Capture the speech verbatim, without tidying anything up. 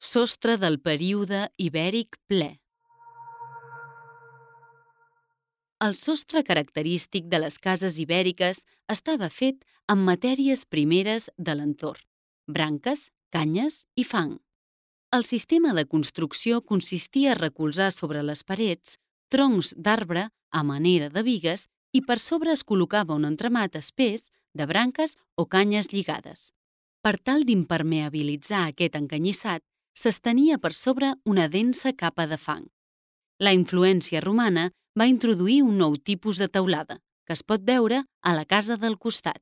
Sostre del període ibèric ple. El sostre característic de les cases ibèriques estava fet amb matèries primeres de l'entorn: branques, canyes i fang. El sistema de construcció consistia a recolzar sobre les parets troncs d'arbre a manera de bigues i per sobre es col·locava un entramat espès de branques o canyes lligades. Per tal d'impermeabilitzar aquest encanyissat, s'estenia per sobre una densa capa de fang. La influència romana va introduir un nou tipus de teulada, que es pot veure a la casa del costat.